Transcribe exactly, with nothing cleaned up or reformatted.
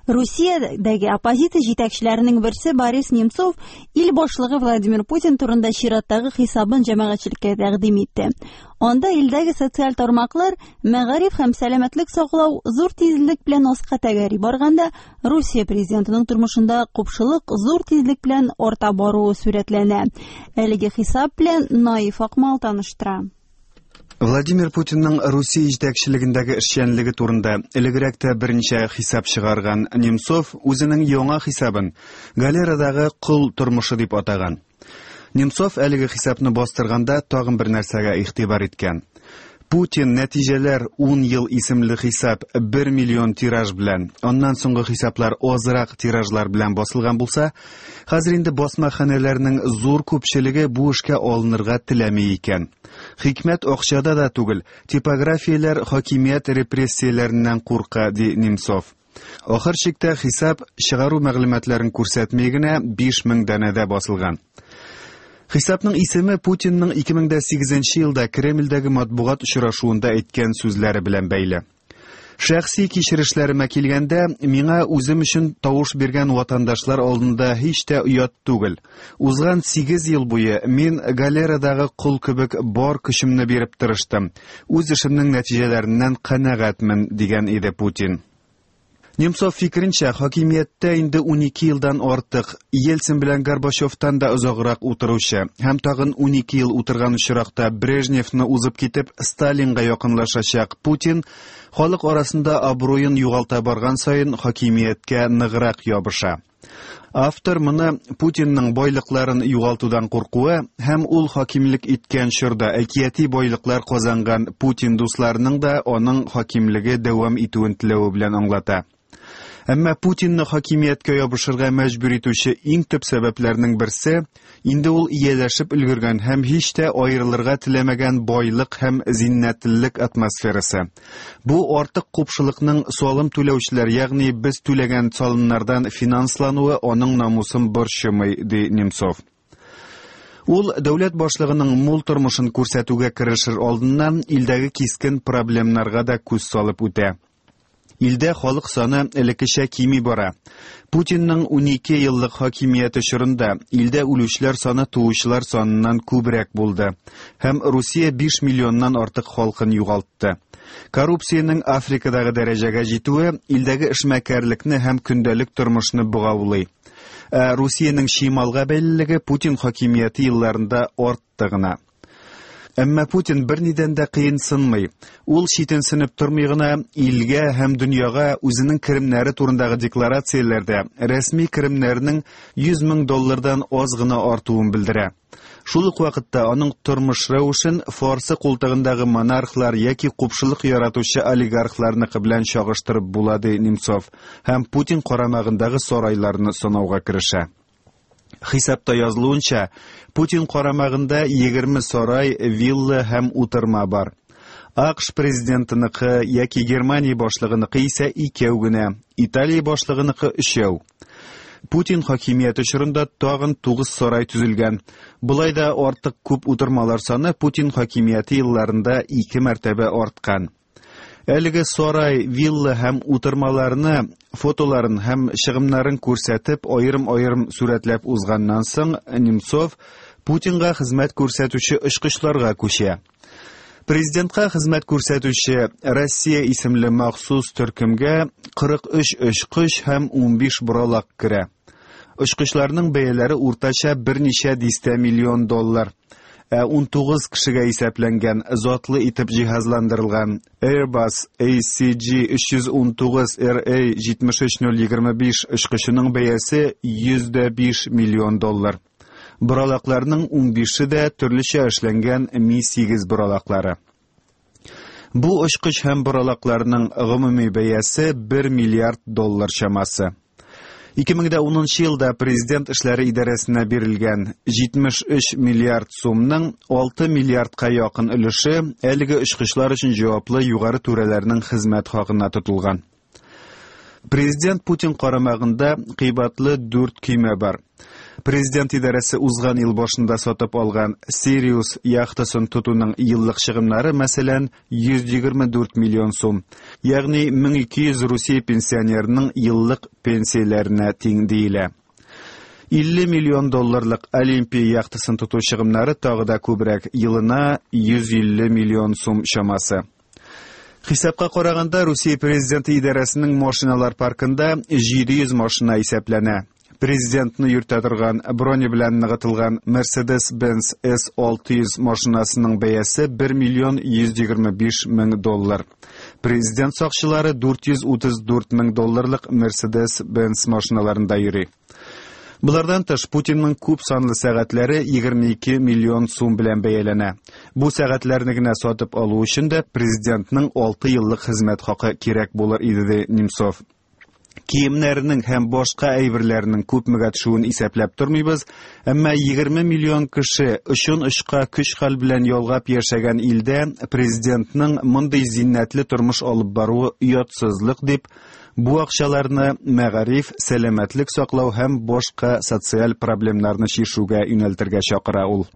Русиядәге оппозиция җитәкчеләренең берсе Борис Немцов ил башлыгы Владимир Путин турында чираттагы хисабын җәмәгатьчелеккә тәкъдим итте. Анда илдәге социаль тармаклар, мәгариф һәм сәламәтлек саклау зур тизлек белән аска тәгәри барганда, Русия президентының тормышында купшылык зур тизлек белән арта баруы сурәтләнә. Әлеге хисап белән Наиф Акмал таныштыра. Владимир Путинның Русия җитәкчелегендәге эшчәнлеге турында элегрәк тә берничә хисап чыгарган Немцов үзенең яңа хисабын галерадагы кол тормышы дип атаган. Немцов әлеге хисапны бастырганда тагын бер нәрсәгә игътибар иткән. Путин нәтиҗәләр ун ел исемле хисап бер миллион тираж белән, аннан соңгы хисаплар азрак тиражлар белән басылган булса, хәзер инде басмаханәләрнең зур күпчелеге бу эшкә алынырга теләми икән. Хикмәт акчада да түгел, типографияләр хакимият репрессияләреннән курка, ди Немцов. Ахыр чиктә хисап чыгару мәгълүматларын күрсәтми генә биш мең данәдә басылган. Хисапның исеме Путинның ике мең дә сигезенче елда Кремльдәге матбугат очрашуында әйткән сүзләре белән бәйле. Шәхси кичерешләремә килгәндә, миңа үзем өчен тавыш биргән ватандашлар алдында һич тә оят түгел. Узган сигез ел буе мин галерадагы кол кебек бар көчемне биреп тырыштым. Үз эшемнең нәтиҗәләреннән канәгатьмен, дигән иде Путин. Немцов фикеренчә, хакимияттә инде унике елдан артык Ельцин белән Горбачевтан да озаграк утыручы һәм тагын унике ел утырган очракта Брежневны узып китеп Сталинга якынлашачак Путин халык арасында абруен югалта барган саен хакимияткә ныграк ябыша. Автор моны Путинның байлыкларын югалтудан куркуы һәм ул хакимлек иткән чорда әкияти байлыклар казанган Путин дусларының да аның хакимлеге дәвам итүен теләве белән аңлата. Әмма Путинны хакимияткә ябышырга мәҗбүр итүче иң төп сәбәпләрнең берсе инде ул ияләшеп өлгергән һәм һич тә аерылырга теләмәгән байлык һәм зиннәтлелек атмосферасы. Бу артык купшылыкның салым түләүчеләр, ягъни без түләгән салымнардан финанслануы аның намусын борчымый, ди Немцов. Ул дәүләт башлыгының мул тормышын күрсәтүгә керешер алдыннан илдәге кискен проблемнарга да күз салып үтә. Илдә халык саны элеккечә кими бара. Путинның унике еллык хакимияте чорында илдә үлүчеләр саны туучылар саныннан күбрәк булды һәм Русия биш миллионнан артык халкын югалтты. Коррупциянең Африкадагы дәрәҗәгә җитүе илдәге эшмәкәрлекне һәм көндәлек тормышны богаулый. Ә Русиянең чималга бәйлелеге Путин хакимияте елларында артты гына. Әмма Путин бернидән дә кыенсынмый. Ул читенсенеп тормый гына илгә һәм дөньяга үзенең керемнәре турындагы декларацияләрдә рәсми керемнәренең йөз мең доллардан аз гына артуын белдерә. Шул ук вакытта аның тормыш рәвешен Фарсы култыгындагы монархлар яки купшылык яратучы олигархларныкы белән чагыштырып була, ди Немцов, һәм Путин карамагындагы сарайларны санауга керешә. Хисапта язылуынча, Путин карамагында егерме сарай, вилла һәм утырма бар. АКШ президентыныкы яки Германия башлыгыныкы исә икәү генә, Италия башлыгыныкы өчәү. Путин хакимияте чорында тагын тугыз сарай төзелгән. Болай да артык күп утырмалар саны Путин хакимияте елларында ике мәртәбә арткан. Әлеге сарай, вилла һәм утырмаларны, фотоларын һәм чыгымнарын күрсәтеп, аерым-аерым сурәтләп узганнан соң Немцов Путинга хезмәт күрсәтүче очкычларга күчә. Президентка хезмәт күрсәтүче Россия исемле махсус төркемгә кырык өч очкыч һәм унбиш боралак керә. Очкычларның бәяләре уртача берничә дистә миллион доллар. Ә ун тугыз кешегә исәпләнгән, затлы итеп җиһазландырылган Airbus A C J өч йөз ун тугыз R A җитмеш өч ноль егерме биш очкычының бәясе йөз дә биш миллион доллар. Боралакларның унбише дә төрлечә эшләнгән Ми сигез боралаклары. Бу очкыч һәм боралакларның гомуми бәясе бер миллиард доллар чамасы. Ике мең дә унынчы елда президент эшләре идарәсенә бирелгән җитмеш өч миллиард сумның алты миллиардка якын өлеше әлеге очкычлар өчен җаваплы югары түрәләрнең хезмәт хакына тотылган. Президент Путин карамагында кыйбатлы дүрт көймә бар. Президент идарәсе узган ел башында сатып алган Sirius яхтасын тотуның еллык чыгымнары, мәсәлән, йөз егерме дүрт миллион сум. Ягъни мең ике йөз Русия пенсионерының еллык пенсияләренә тиң диелә. илле миллион долларлык Олимпия яхтасын тоту чыгымнары тагы да күбрәк, елына йөз илле миллион сум чамасы. Хисапка караганда, Русия президенты идарәсенең машиналар паркында җиде йөз машина исәпләнә. Президентны йөртә торган броня белән ныгытылган Mercedes-Benz S алты йөз машинасының бәясе бер миллион йөз егерме биш мең доллар. Президент сакчылары дүрт йөз утыз дүрт мең долларлык Mercedes-Benz машиналарында йөри. Болардан тыш, Путинның күп санлы сәгатьләре егерме ике миллион сум белән бәяләнә. Бу сәгатьләрне генә сатып алу өчен дә президентның алты еллык хезмәт хакы кирәк булыр иде, ди Немцов. Киемнәренең һәм башка әйберләренең күпмегә төшүен исәпләп тормыйбыз, әмма егерме миллион кеше очын очка көч-хәл белән ялгап яшәгән илдә президентның мондый зиннәтле тормыш алып баруы оятсызлык дип, бу акчаларны мәгариф, сәламәтлек саклау һәм башка социаль проблемнарны чишүгә юнәлтергә чакыра ул.